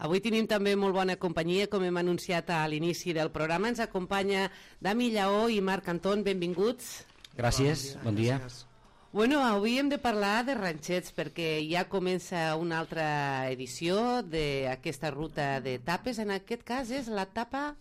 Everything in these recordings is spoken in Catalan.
Avui tenim també molt bona companyia, com hem anunciat a l'inici del programa. Ens acompanya Dami Lleó i Marc Anton, benvinguts. Gràcies, bon dia. Bueno, avui hem de parlar de ranxets perquè ja comença una altra edició d'aquesta ruta d'etapes. En aquest cas és l'etapa...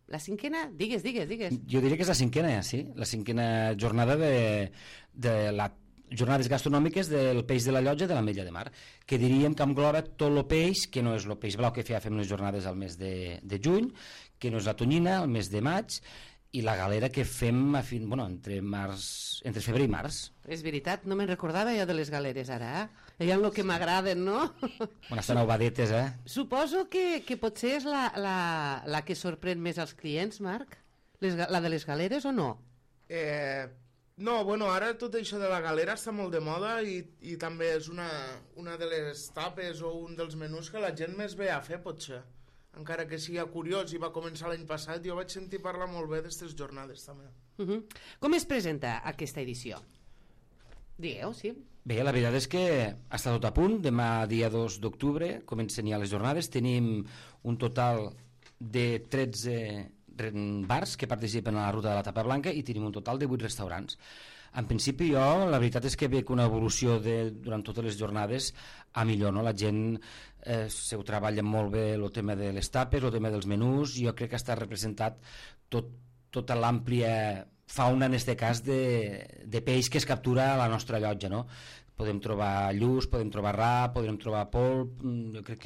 La cinquena? Digues. Jo diria que és la cinquena, sí. La cinquena jornada de les jornades gastronòmiques del peix de la Llotja de l'Ametlla de Mar, que diríem que engloba tot el peix, que no és el peix blau que fem les jornades al mes de juny, que no és la tonyina al mes de maig, i la galera que fem entre febrer i març. És veritat, no me'n recordava jo de les galeres ara, Ella el que m'agraden, no? Bueno, estan ovadetes, Suposo que potser és la que sorprèn més als clients, Marc? La de les galeres o no? No, bueno, ara tot això de la galera està molt de moda i també és una de les tapes o un dels menús que la gent més ve a fer, potser. Encara que sigui curiós i va començar l'any passat, jo vaig sentir parlar molt bé d'aquestes jornades també. Com es presenta aquesta edició? Digueu, sí. Bé, la veritat és que està tot a punt. Demà, dia 2 d'octubre, comencen ja les jornades. Tenim un total de 13 bars que participen a la ruta de la tapa blanca i tenim un total de 8 restaurants. En principi jo, la veritat és que veig una evolució durant totes les jornades a millor, no? La gent se ho treballa molt bé, el tema de les tapes, el tema dels menús. Jo crec que està representat tota l'àmplia fauna, en aquest cas, de peix que es captura a la nostra llotja, no? Podem trobar lluç, podem trobar rap, podem trobar polp. Jo crec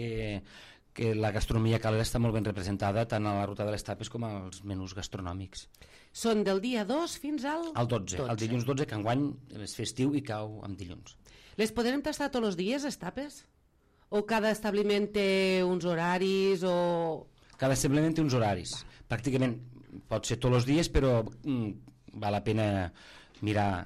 que la gastronomia calera està molt ben representada tant a la ruta de les tapes com als menús gastronòmics. Són del dia 2 fins al 12. El dilluns 12, que enguany és festiu i cau amb dilluns. Les podrem tastar tots els dies, les tapes? O cada establiment té uns horaris o... Cada establiment té uns horaris. Pràcticament pot ser tots els dies, però val la pena mirar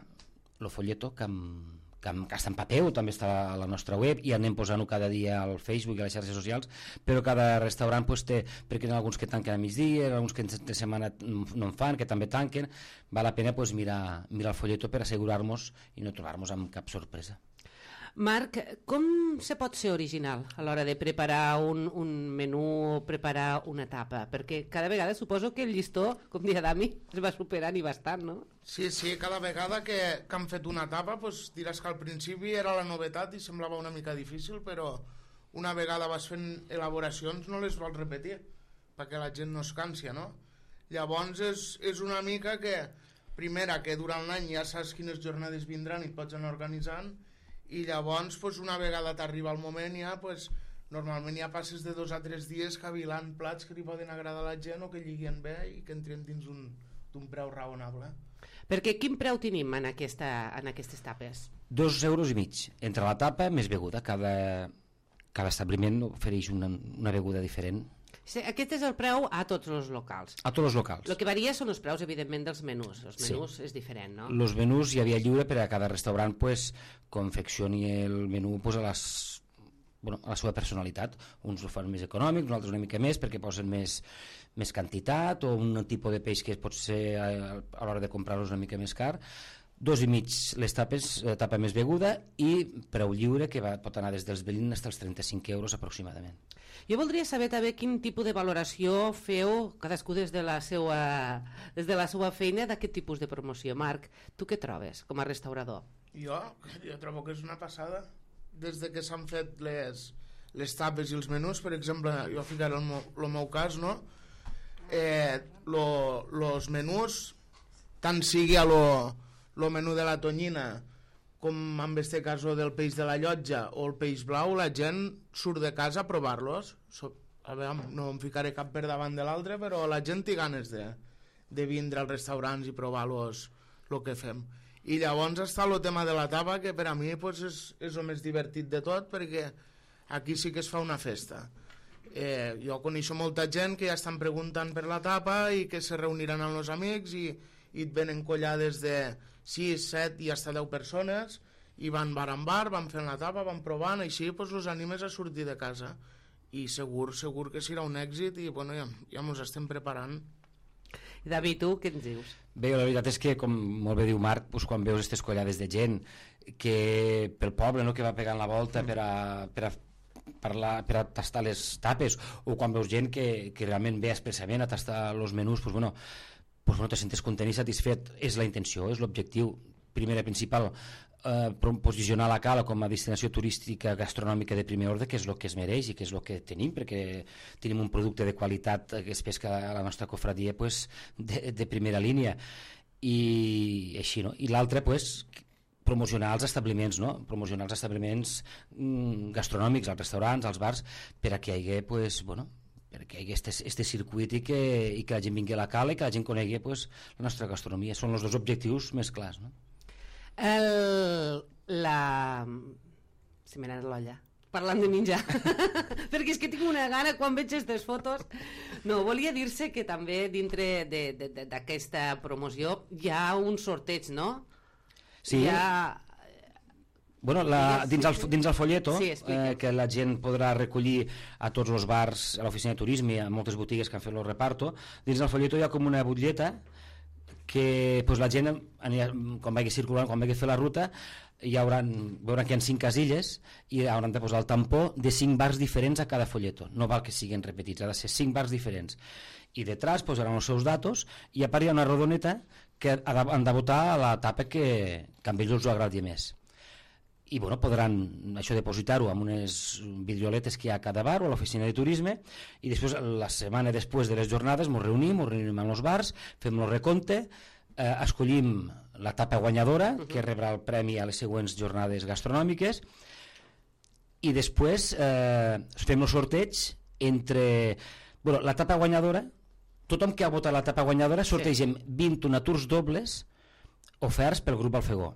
el folleto que està en paper o també està a la nostra web i anem posant-ho cada dia al Facebook i a les xarxes socials, però cada restaurant té, perquè hi ha alguns que tanquen a migdia, alguns que de setmana no en fan, que també tanquen. Val la pena mirar el folleto per assegurar-nos i no trobar-nos amb cap sorpresa. Marc, com se pot ser original a l'hora de preparar un menú o preparar una tapa? Perquè cada vegada suposo que el llistó, com deia Dami, es va superant i bastant, no? Sí, cada vegada que han fet una tapa diràs que al principi era la novetat i semblava una mica difícil, però una vegada vas fent elaboracions no les vols repetir perquè la gent no es cansi, no? Llavors és una mica que, primera, que durant l'any ja saps quines jornades vindran i et pots anar organitzant, i llavors una vegada t'arriba el moment ja normalment ja passes de 2 a 3 dies cavilant plats que li poden agradar a la gent o que lliguen bé i que entren dins d'un preu raonable. Perquè quin preu tenim en aquestes tapes? 2,5 euros entre la tapa més beguda. Cada establiment ofereix una beguda diferent. Sí, aquest és el preu a tots els locals. A tots els locals. El que varia són els preus, evidentment, dels menús. Els menús és diferent, no? Els menús hi havia lliure per a cada restaurant confeccioni el menú a la seva personalitat. Uns ho fan més econòmic, uns altres una mica més perquè posen més quantitat o un tipus de peix que pot ser a l'hora de comprar-los una mica més car. 2,5 les tapes, tapa més beguda i preu lliure que pot anar des dels 20 fins als 35 euros aproximadament. Jo voldria saber també quin tipus de valoració feu cadascú des de la seva feina d'aquest tipus de promoció. Marc, tu què trobes com a restaurador? Jo trobo que és una passada. Des de que s'han fet les tapes i els menús, per exemple, jo ficaré el meu cas, no? Los menús, tant sigui a el menú de la tonyina com en este cas del peix de la Llotja o el peix blau, la gent surt de casa a provar-los. No em ficaré cap per davant de l'altre, però la gent té ganes de vindre als restaurants i provar-los el que fem. I llavors està el tema de la tapa, que per a mi és el més divertit de tot, perquè aquí sí que es fa una festa. Jo coneixo molta gent que ja estan preguntant per la tapa i que se reuniran amb els amics i et venen collades de 6, 7 i fins a 10 persones i van bar en bar, van fent la tapa, van provant, així els animes a sortir de casa i segur que serà un èxit i ja ens estem preparant. I David, tu què ens dius? Bé, la veritat és que, com molt bé diu Marc, quan veus aquestes collades de gent que pel poble que va pegant la volta per a per a tastar les tapes, o quan veus gent que realment ve expressament a tastar els menús, pues bueno, te sentes content i satisfet. És la intenció, és l'objectiu primer i principal, posicionar la Cala com a destinació turística gastronòmica de primer ordre, que és el que es mereix i que és el que tenim, perquè tenim un producte de qualitat que es pesca a la nostra cofradia pues, de primera línia, i així, no? I l'altre, pues, promocionar els establiments, no? Promocionar els establiments gastronòmics, els restaurants, els bars, per a que hi hagi, pues, bueno, perquè hi hagi este circuit i que la gent vingui a la Cala i que la gent conegui pues, la nostra gastronomia. Són els dos objectius més clars, no? Se m'ha anat l'olla parlant de menjar perquè és que tinc una gana quan veig aquestes fotos. No, volia dir-se que també dintre d'aquesta promoció hi ha un sorteig, no? Sí. Bueno, dins el folleto, sí, que la gent podrà recollir a tots els bars, a l'oficina de turisme, a moltes botigues que han fet el reparto, dins el folleto hi ha com una butlleta que pues, la gent, quan vagi circulant, quan vagi a fer la ruta, veuran que hi ha 5 casilles i hauran de posar el tampó de 5 bars diferents a cada folleto. No val que siguin repetits, ha de ser 5 bars diferents. I detrás posaran els seus datos i a part hi ha una rodoneta que han de votar a la tapa que a ells els agradi més. I bueno, podran això depositar-ho amb unes vidrioletes que hi ha a cada bar o a l'oficina de turisme, i després la setmana després de les jornades ens reunim amb els bars, fem el recompte, escollim la tapa guanyadora que rebrà el premi a les següents jornades gastronòmiques, i després fem el sorteig entre la tapa guanyadora. Tothom que ha votat la tapa guanyadora sortegem 21 aturs dobles oferts pel grup Alfegó.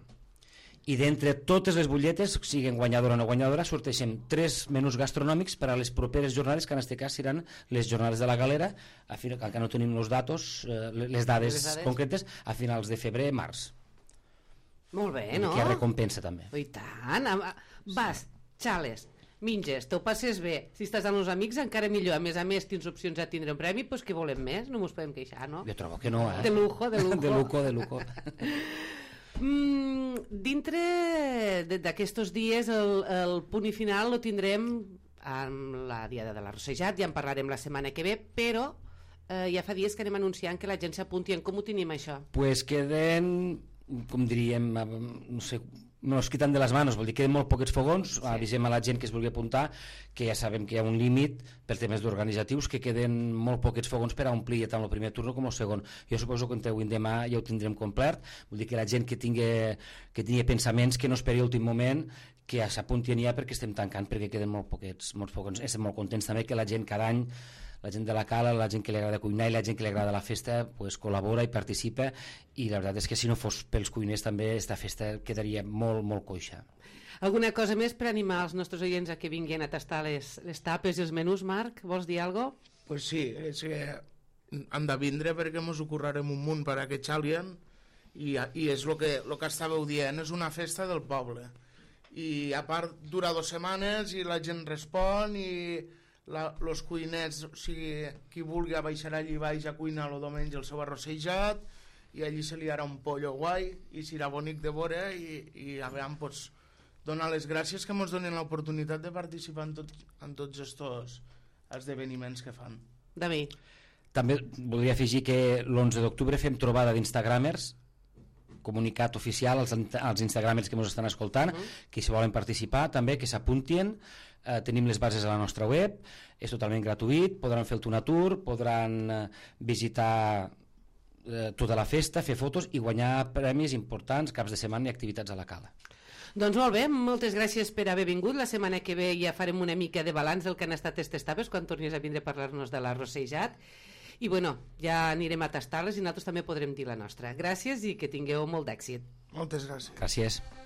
I d'entre totes les butlletes, siguin guanyadora o no guanyadora, sorteixem 3 menús gastronòmics per a les properes jornades, que en aquest cas seran les jornades de la Galera, que no tenim les dades concretes, a finals de febrer, març. Molt bé, no? Que recompensa també. I tant, vas, xales, minges, t'ho passes bé, si estàs amb els amics encara millor, a més tens opcions a tindre un premi, doncs què volem més? No mos podem queixar, no? Jo trobo que no, De lujo. De lujo. Dintre d'aquests dies el punt i final lo tindrem amb la Diada de la Rossejat, ja en parlarem la setmana que ve, però ja fa dies que anem anunciant que la gent s'apunti. Com ho tenim això? Pues queden, com diríem, no sé, nos quitan de les manos, vol dir que queden molt poquets fogons. Sí. Avisem a la gent que es vulgui apuntar que ja sabem que hi ha un límit per temes organitzatius, que queden molt poquets fogons per a omplir tant el primer turno com el segon. Jo suposo que entre avui i demà ja ho tindrem complet, vol dir que la gent que tingui pensaments que no esperi l'últim moment, que ja s'apuntin ja perquè estem tancant, perquè queden molt poquets, molts fogons. Estem molt contents també que la gent cada any, la gent de la Cala, la gent que li agrada cuinar i la gent que li agrada la festa, pues, col·labora i participa, i la veritat és que si no fos pels cuiners també esta festa quedaria molt, molt coixa. Alguna cosa més per animar els nostres oients a que vinguin a tastar les tapes i els menús, Marc? Vols dir alguna cosa? Pues sí, és que han de vindre perquè ens ho currarem un munt per a que xalien, i és el que estàveu dient, és una festa del poble. I a part dura 2 setmanes i la gent respon, i els cuiners, o sigui, qui vulgui baixarà allí baix a cuinar el diumenge el seu arrossejat, i allí se li harà un pollo guai i serà bonic de veure, i a veure, pues, donar les gràcies que ens donen l'oportunitat de participar en tots aquests esdeveniments que fan. David. També voldria afegir que l'11 d'octubre fem trobada d'instagramers, comunicat oficial als instagramers que ens estan escoltant, que si volen participar també que s'apuntin. Tenim les bases a la nostra web, és totalment gratuït, podran fer el Tuna Tour, podran visitar tota la festa, fer fotos i guanyar premis importants, caps de setmana i activitats a la Cala. Doncs molt bé, moltes gràcies per haver vingut. La setmana que ve ja farem una mica de balanç del que han estat aquestes tapes quan tornis a vindre a parlar-nos de l'arrossejat. I bueno, ja anirem a tastar-les i nosaltres també podrem dir la nostra. Gràcies i que tingueu molt d'èxit. Moltes gràcies. Gràcies.